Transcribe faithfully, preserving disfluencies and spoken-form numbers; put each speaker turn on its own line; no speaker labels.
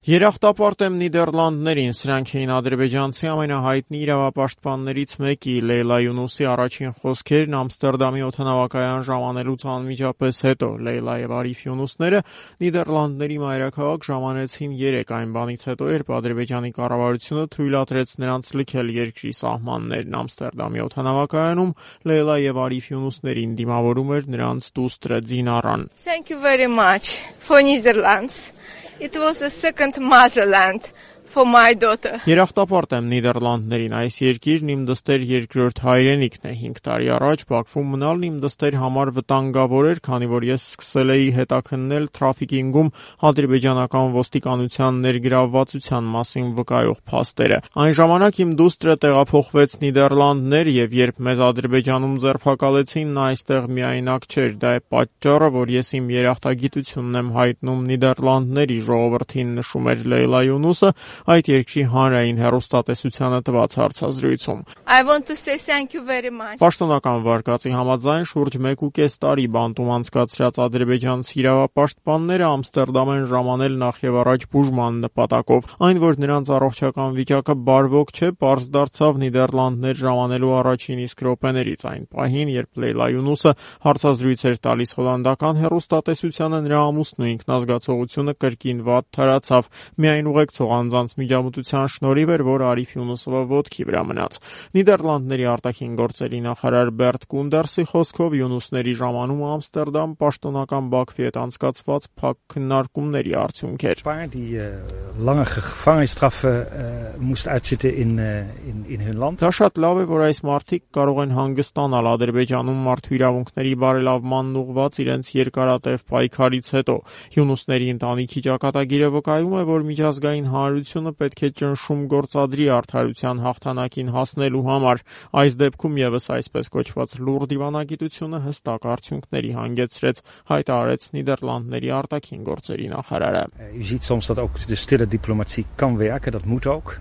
Երախտապարտ եմ Նիդերլանդներին, սրանք էին ադրբեջանցի ամենահայտնի իրավապաշտպաններից մեկի Լեյլա Յունուսի առաջին խոսքերն Ամստերդամի օդանավակայան ժամանելուց անմիջապես հետո։ Լեյլա եւ Արիֆ Յունուսները Նիդերլանդների մայրաքաղաք ժամանեցին երեկ, այն բանից հետո, երբ Ադրբեջանի կառավարությունը թույլատրեց նրանց լքել երկրի սահմաններն։ Ամստերդամի օդանավակայանում Լեյլա եւ Արիֆ Յունուսներին դիմավորում էր նրանց դուստրը Դինարան։
Thank you very much for Netherlands. It was a second motherland for my daughter.
Երախտապարտ եմ Նիդերլանդներին, այս երկիրն իմ դստեր երկրորդ հայրենիքն է։ հինգ տարի առաջ Բաքվում մնալն իմ դստեր համար վտանգավոր էր, քանի որ ես սկսել էի հետաքննել թրաֆիքինգում ադրբեջանական ոստիկանության ներգրավվածության մասին վկայող փաստերը։ Այն ժամանակ իմ դուստրը տեղափոխվեց Նիդերլանդներ եւ երբ մեզ Ադրբեջանում ձերբակալեցին, նա այստեղ միայնակ չէր։ Դա է պատճառը, որ ես իմ երախտագիտությունն եմ հայտնում Նիդերլանդների ժողովրդին, նշում էր Լեյլա Յունուսը այդ երկրի հանրային հեռուստատեսությանը տված հարցազրույցում։
I want to say thank you very much.
Պաշտոնական վարկածի համաձայն շուրջ մեկ ու կես տարի բանտում անցկացրած ադրբեջանցի իրավապաշտպանները Ամստերդամ են ժամանել նախ եւ առաջ բուժման նպատակով։ Այն, որ նրանց առողջական վիճակը բարվոք չէ, պարզ դարձավ Նիդերլանդներ ժամանելու առաջին իսկ րոպեներից։ Այն պահին, երբ Լեյլա Յունուսը հարցազրույց էր տալիս հոլանդական հեռուստատեսությանը, նրա ամուսնու ինքնազգացողությունը կրկին վատ թարացավ։ Միայն ուղեկցող անձանց միջամտության շնորհիվ էր, որ Արիֆ Յունուսովը ոտքի վրա մնաց։ Նիդերլանդների արտաքին գործերի նախարար Բերտ Կունդերսի խոսքով Յունուսների ժամանումը Ամստերդամ պաշտոնական Բաքվի հետ անցկացված փակ քննարկումների արդյունք էր։ Դա շատ լավ է, որ այս մարդիկ կարող են հանգստանալ Ադրբեջանում մարդու իրավունքների բարելավմանն ուղղված իրենց երկարատև պայքարից հետո։ Յունուսների ընտանիքի ճակատագիրը վկայում է, որ միջազգային հանրությունը պետք է ճնշում գործադրի արդարության հաղթանակին հասնելու համար։ Այս դեպքում եւս այսպես կոչված լուռ դիվանագիտությունը հստակ արդյունքների հանգեցրեց, հայտարարեց Նիդերլանդների արտաքին գործերի նախարարը։
U ziet soms dat ook de stille diplomatie kan werken, dat moet ook.